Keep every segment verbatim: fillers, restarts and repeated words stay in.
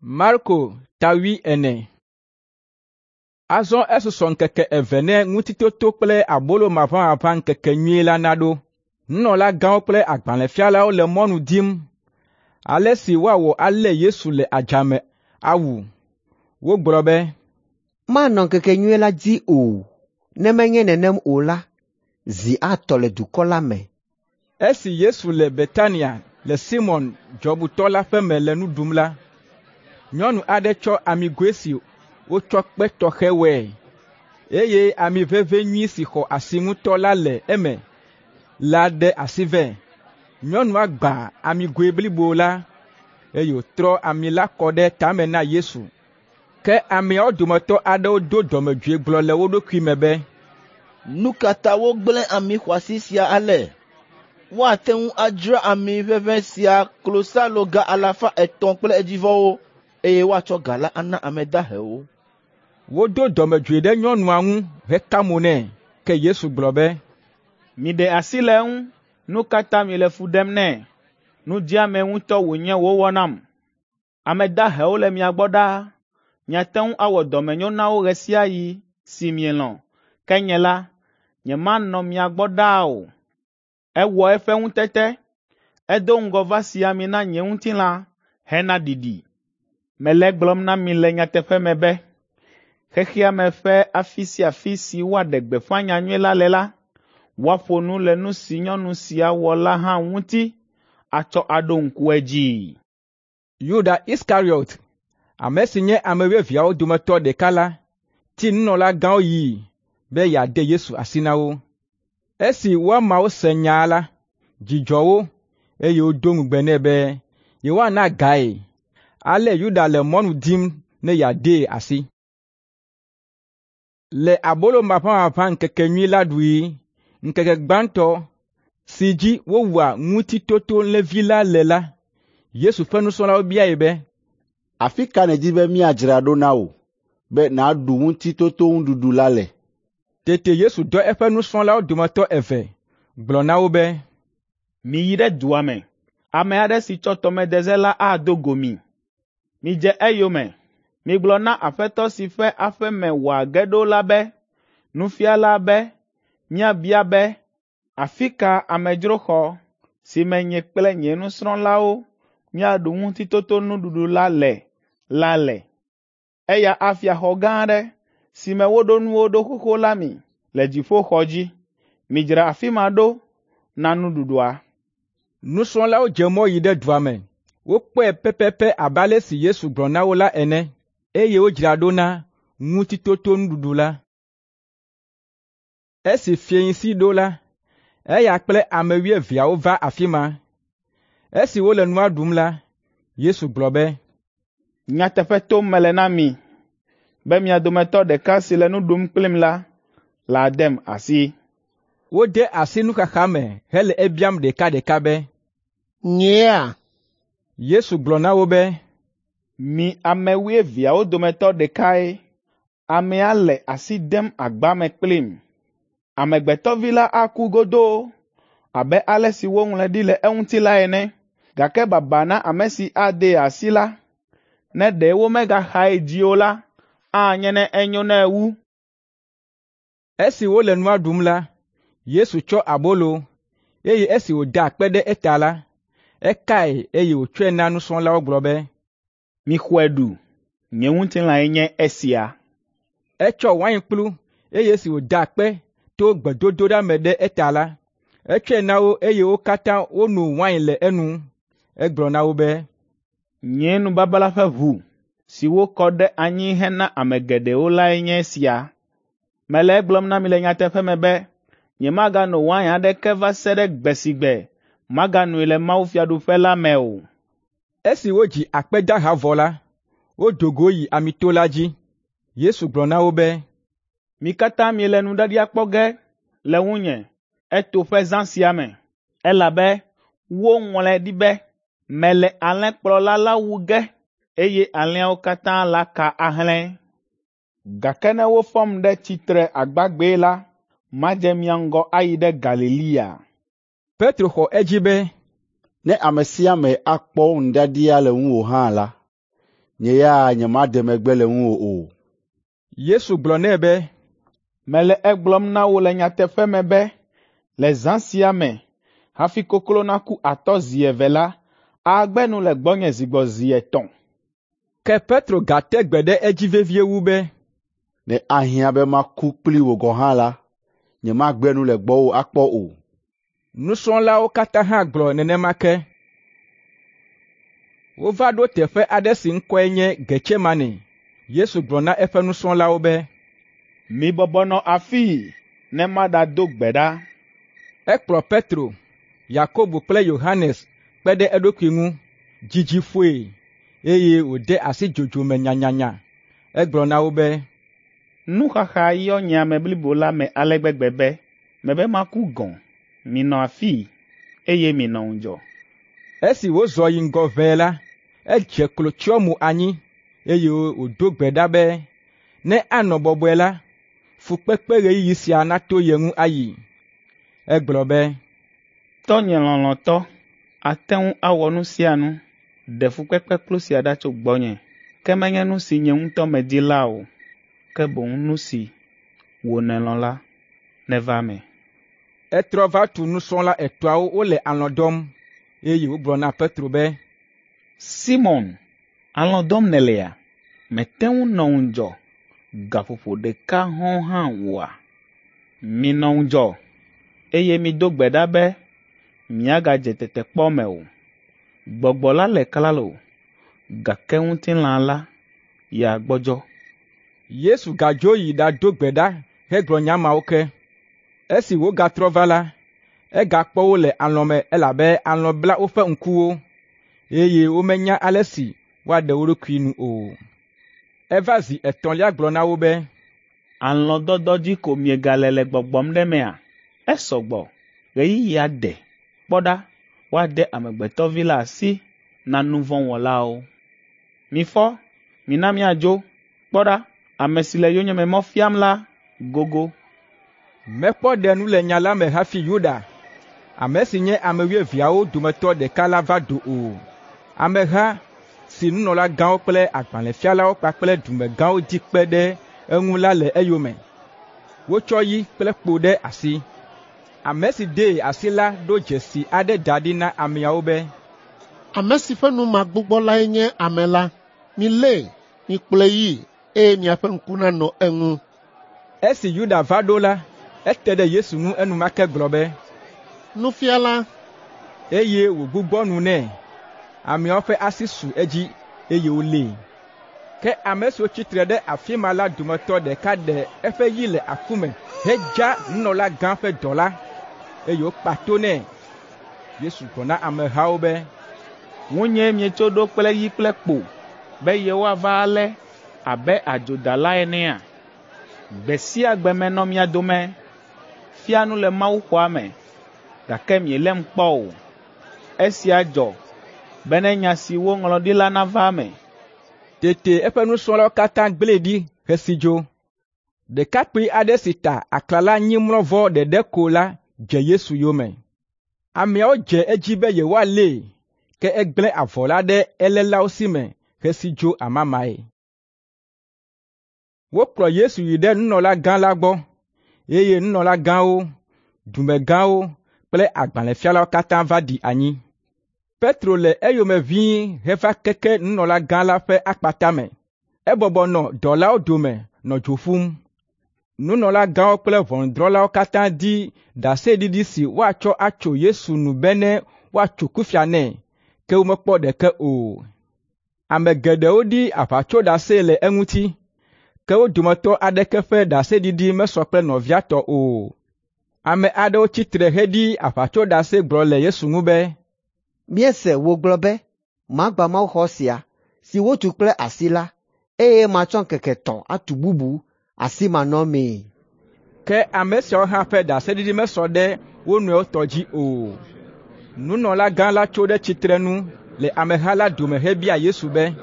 Marko ta wuiene. Azɔ esusɔ ŋkeke eve ne Ŋutitoto kple Abolo Maʋamaʋã ŋkekenyui la naɖo. Nunɔlagãwo kple agbalẽfialawo le mɔnu dim ale si woawɔ alé Yesu le adzame awu. Wogblɔ be, “Manɔ ŋkekenyui la dzi o, ne menye nenem o la, zi atɔ le dukɔ la me.” Esi Yesu le Betania le Simɔn dzɔbutɔ la ƒe me le nu ɖum la, nyɔnu aɖe tsɔ amigoe si wotsɔ kpe tɔxɛ wɔe, eye ami ʋeʋĩ nyui si xɔ asi ŋutɔ la le eme la ɖe asi vɛ. Nyɔnua gbã amigoe blibo la, eye wòtrɔ ami la kɔ ɖe tame na Yesu. Ke ameawo dometɔ aɖewo do dɔmedzoe gblɔ le wo ɖokui me be, “Nu ka ta wogblẽ ami xɔasi sia ale? Woate ŋu adzra ami ʋeʋĩ sia klosaloga alafa etɔ̃ kple edzivɔwo, eye woatsɔ ga la ana ame dahewo.” Wodo dɔmedzoe ɖe nyɔnua ŋu heka mo nɛ. Ke Yesu gblɔ be, “Miɖe asi le eŋu. Nu ka ta miele fu ɖem nɛ? Nudzɛame ŋutɔ wònye wòwɔ nam. Ame dahewo le mia gbɔ ɖaa. Miate ŋu awɔ dɔmenyo na wo ɣe sia ɣi si mielɔ̃, ke nye la, nyemanɔ mia gbɔ ɖaa o. Ewɔ eƒe ŋutete. Edo ŋgɔ va si ami na nye ŋutilã hena ɖiɖi. Mele egblɔm na mi le nyateƒe me be, xexea me ƒe afi sia afi si woaɖe gbeƒã nyanyui la le la, woaƒo nu le nu si nyɔnu sia wɔ la hã ŋuti atsɔ aɖo ŋku edzii.” Yuda Iskariɔt, ame si nye ame wuieveawo dometɔ ɖeka la, ti nunɔlagãwo yii be yeade Yesu asi na wo. Esi woamawo se nyaa la, dzi dzɔ wo, eye wodo ŋugbe nɛ be yewoana gae. Ale Yuda le mɔnu dim ne yeadee asi. Le Abolo Maʋamaʋã ŋkekenyui la ɖuɣi, ŋkeke gbãtɔ si dzi wowua Ŋutitotolẽvi la le la, Yesu ƒe nusrɔ̃lawo biae be, “Afi ka nèdi be míadzra ɖo na wò be nàɖu Ŋutitotonuɖuɖu la le?” Tete Yesu dɔ eƒe nusrɔ̃lawo dometɔ eve, gblɔ na wo be, “Miyi ɖe dua me. Ame aɖe si tsɔ tɔmedeze la ado go mi. Midze eyome. Migblɔ na aƒetɔ si ƒe aƒe me wòage ɖo la be, ‘Nufiala be míabia be, afi ka amedzroxɔ si me nye kple nye nusrɔ̃lawo míaɖu Ŋutitotonuɖuɖu la le la le?’ Eya afia xɔ gã aɖe si me woɖo nuwo ɖo xoxo la mi le dziƒoxɔ dzi. Midzra afi ma ɖo na nuɖuɖua.” Nusrɔ̃lawo dze mɔ yi ɖe dua me. Wokpɔe pɛpɛpɛ abe ale si Yesu gblɔ na wo la ene, eye wodzra ɖo na Ŋutitotonuɖuɖu la. Esi fiẽsi ɖo la, eya kple ame wuieveawo va afi ma. Esi wole nua ɖum la, Yesu gblɔ be, “Nyateƒe tom mele na mi be mia dometɔ ɖeka si le nu ɖum kplim la ladem asi.” Wode asi nuxaxa me hele ebiam ɖekaɖeka be, “Nyea?” Yesu gblɔ na wo be, “Mi ame wuieveawo dometɔ ɖekae. Amea le asi dem agba me kplim. Amegbetɔ Vi la aku godoo abe ale si woŋlɔe ɖi le eŋuti la ene, gake baba na ame si adee asi la. Ne ɖe womegaxae dzi o la, anye ne enyo nɛ wu.” Esi wole nua ɖum la, Yesu tsɔ abolo, eye esi wòda akpe ɖe eta la, ekae eye wòtsɔe na nusrɔ̃lawo gblɔ be, “Mixɔe ɖu. Nye ŋutilãe nye esia.” Etsɔ wainkplu, eye esi wòda akpe to gbedodoɖa me ɖe eta la, etsɔe na wo eye wo katã wono wain le enu. Egblɔ na wo be, “Nye nubabla ƒe ʋu si wokɔ ɖe anyi hena ame geɖewo lae nye esia. Mele egblɔm na mi le nyateƒe me be nyemagano wain aɖeke va se ɖe gbe si gbe maganoe le mawufiaɖuƒe la me o.” Esi wodzi akpedaha vɔ la, wodo go yi Amito la dzi. Yesu gblɔ na wo be, “Mi katã miele nuɖiaɖia kpɔ ge le ŋunye eto ƒe zã sia me, elabe woŋlɔe ɖi be, ‘Mele alẽkplɔla la wu ge, eye alẽawo katã laka ahlẽ.’ Gake ne wofɔm ɖe tsitre agbagbee la, madze mia ŋgɔ ayi ɖe Galilea.” Petro xɔ edzi be, “Ne ame sia ame akpɔ nuɖiaɖia le ŋuwò hã la, Nye ya nyemaɖe megbe le ŋuwò o.” Yesu gblɔ nɛ be, “Mele egblɔm na wò le nyateƒe me be le zã sia me, hafi koklo naku atɔ zi eve la, àgbe nu le gbɔnye zi gbɔ zi etɔ̃.” Ke Petro gate gbe ɖe edzi vevie wu be, “Ne ahiã be maku kpli wò gɔ̃ hã la, nyemagbe nu le gbɔwò akpɔ o.” Nusrɔ̃lawo katã hã gblɔ nenema ke. Wova ɖo teƒe aɖe si ŋkɔe nye Getsemane. Yesu gblɔ na eƒe nusrɔ̃lawo be, “Mibɔbɔ nɔ afii ne maɖado gbe ɖa.” Ekplɔ Petro, Yakobo kple Yohanes kpe ɖe eɖokui ŋu, dzidzi ƒoe, eye wòde asi dzodzo me nyanyanya. Egblɔ na wo be, “Nuxaxa yɔ nye ame blibo la me ale gbegbe be mebe maku gɔ̃. Minɔ afii, eye minɔ ŋudzɔ.” Esi wòzɔ yi ŋgɔ ʋɛe la, edze klo tsyɔ mo anyi, eye wòdo gbe ɖa be ne anɔ bɔbɔe la, fukpekpe ɣeyiɣi sia nato ye ŋu ayi. Egblɔ be, “Tɔnye lɔlɔ̃tɔ, àte ŋu awɔ nu sia nu. Ɖe fukpekpekplu sia ɖa tso gbɔnye, ke menye nu si nye ŋutɔ medi la o, ke boŋ nu si wò nèlɔ̃ la neva eme.” Etrɔ va tu nusrɔ̃la etɔ̃awo wole alɔ̃ dɔm, eye wògblɔ na Petro be, “Simɔn, alɔ̃ dɔm nèlea? Mète ŋu nɔ ŋudzɔ gaƒoƒo ɖeka hɔ̃ɔ hã oa? Minɔ ŋudzɔ, eye mido gbe ɖa be miagadze tetekpɔ me o. Gbɔgbɔ la le klalo, gake ŋutilã la ya gbɔdzɔ.” Yesu gadzo yi ɖado gbe ɖa hegblɔ nya mawo ke. Esi wògatrɔ va la, egakpɔ wo le alɔ̃ me elabe alɔ̃ bla woƒe ŋkuwo, eye womenya ale si woaɖe wo ɖokui nu o. Eva zi etɔ̃lia gblɔ na wo be, “Alɔ̃dɔdɔ dzi ko miegale le gbɔgbɔm ɖe mea? Esɔ gbɔ, ɣeyiɣia de. Kpɔ ɖa, woade Amegbetɔ Vi la asi na nu vɔ̃ wɔlawo. Mifɔ, mina míadzo. Kpɔ ɖa, ame si le yonyeme mɔ fiam la gogo.” Mekpɔ ɖe nu le nya la me hafi Yuda, ame si nye ame wuieveawo dometɔ ɖeka la va do o. Ameha si nunɔlagãwo kple agbalẽfialawo kpakple dumegãwo di kpe ɖe eŋu la le eyome. Wotsɔ yi kple kpo ɖe asi. Ame si dee asi la ɖo dzesi aɖe da ɖi na ameawo be, “Ame si ƒe nu magbugbɔ lae nye ame la. Milée, mikplɔe yii, eye miaƒe ŋku nanɔ eŋu.” Esi Yuda va ɖo la, ete ɖe Yesu ŋu enumake gblɔ be, “Nufiala!” eye wògbugbɔ nu nɛ. Ameawo ƒe asi su edzi, eye wolée. Ke ame siwo tsi tre ɖe afi ma la dometɔ ɖeka ɖe eƒe yi le aku me hedza nunɔlagã ƒe dɔla, eye wòkpa to nɛ. Yesu gblɔ na amehawo be, “Ŋunyee mietso ɖo kple yi kple kpo be yewoava alé abe adzodala enea? Gbe sia gbe menɔ mia dome, fia nu le mawuxɔa me, gake mielém kpɔ o. Esia dzɔ bene nya si woŋlɔ ɖi la nava eme.” Tete eƒe nusrɔ̃lawo katã gblẽe ɖi hesi dzo. Ɖekakpui aɖe si ta aklala-nyimlɔvɔ ɖeɖe ko la dze Yesu yome. Ameawo dze edzi be yewoalée, ke egblẽ avɔ la ɖe elélawo si me hesi dzo amamae. Wokplɔ Yesu yi ɖe nunɔlagã la gbɔ, eye nunɔlagãwo, dumegãwo kple agbalẽfialawo katã va ɖi anyi. Petro le eyome ʋĩi heva keke nunɔlagã la ƒe akpata me. Ebɔbɔ nɔ dɔlawo dome nɔ dzo ƒum. Nunɔlagãwo kple ʋɔnudrɔ̃lawo katã di ɖaseɖiɖi si woatsɔ atso Yesu nu bene woatso kufia nɛ, ke womekpɔ ɖeke o. Ame geɖewo ɖi aʋatsoɖase le eŋuti, ke wo dometɔ aɖeke ƒe ɖaseɖiɖi mesɔ kple nɔvia tɔ o. Ame aɖewo tsi tre heɖi aʋatsoɖase gblɔ le Yesu ŋu be, Míese wògblɔ be, ‘Magbã mawuxɔ sia, si wotu kple asi la, eye matsɔ ŋkeke etɔ̃ atu bubu asimanɔmee.’ Ke ame siawo hã ƒe ɖaseɖiɖi mesɔ ɖe wo nɔewo tɔ dzi o. Nunɔlagã la tso ɖe tsitrenu le ameha la dome hebia Yesu be,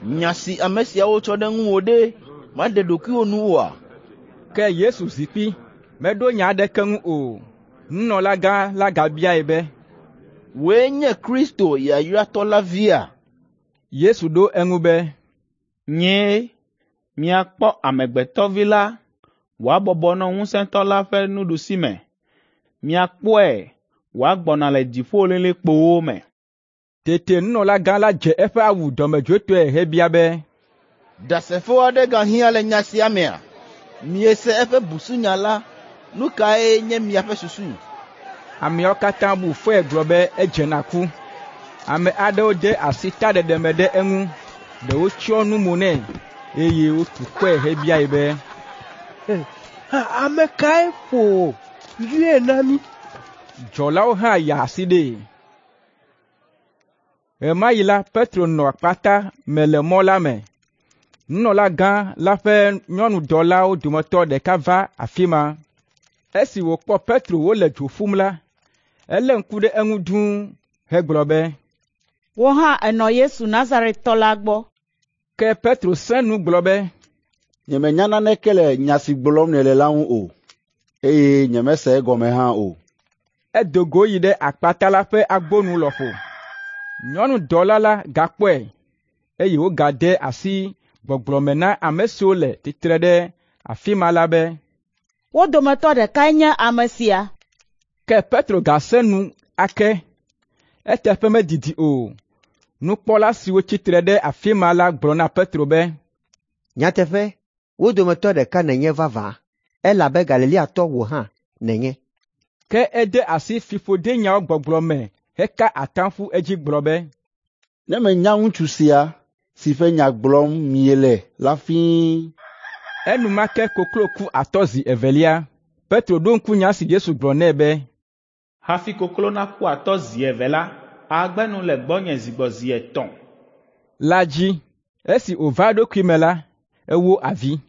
“Nya si ame siawo tsɔ ɖe ŋuwò ɖe, màɖe ɖokuiwò nu oa?” Ke Yesu zi kpi, meɖo nya aɖeke ŋu o. Nunɔlagã la gabiae be, “Wòe nye Kristo yayratɔ la via?” Yesu ɖo eŋu be, Nyee, miakpɔ Amegbetɔvi la wòabɔbɔ nɔ Ŋusẽtɔ la ƒe nuɖusime. Miakpɔe wòagbɔna le dziƒolilikpowo me.” Tete nunɔlagã la dze eƒe awu dɔmedzoetɔe hebia be, “Ɖasefo aɖe gahiã le nya sia mea? Miese eƒe busunya la, nu kae nye miaƒe susu?” Ameawo katã bu fɔe gblɔ be edze na ku. Ame aɖewo de asi taɖeɖe me ɖe eŋu, ɖewo tsyɔ nu mo nɛ, eye wotu kɔe hebiae be, “Ame kae ƒo wò? Yɔe na mí.” Dzɔlawo hã ya asi ɖee. Ɣe ma ɣi la, Petro nɔ akpata me le mɔ la me. Nunɔlagã la ƒe nyɔnudɔlawo dometɔ ɖeka va afi ma. Esi wòkpɔ Petro wole dzo ƒum la, elé ŋku ɖe eŋu dũu hegblɔ be, “Wò hã ènɔ Yesu Nazaretɔ la gbɔ.” Ke Petro sẽ nu gblɔ be, “Nyemenya naneke le nya si gblɔm nèle la ŋu o, eye nyemese egɔme hã o.” Edo go yi ɖe akpata la ƒe agbonu lɔƒo. Nyɔnudɔla la gakpɔe, eye wògade asi gbɔgblɔ me na ame siwo le tsitre ɖe afi ma la be, “Wo dometɔ ɖekae nye ame sia.” Ke Petro gasẽ nu ake. Eteƒe medidi o, nukpɔla siwo tsi tre ɖe afi ma la gblɔ na Petro be, “Nyateƒe, wo dometɔ ɖeka nènye vavã, elabe Galileatɔ wò hã nènye.” Ke ede asi fiƒodenyawo gbɔgblɔ me heka atam ƒu edzi gblɔ be, “Ne menya ŋutsu sia si ƒe nya gblɔm miele la fĩi!” Enumake koklo ku atɔ zi evelia. Petro ɖo ŋku nya si Yesu gblɔ nɛ be, “Hafi koklo naku atɔ zi eve la, àgbe nu le gbɔnye zi gbɔ zi etɔ̃.” la dzi. Esi wòva eɖokui me la, ewó avi.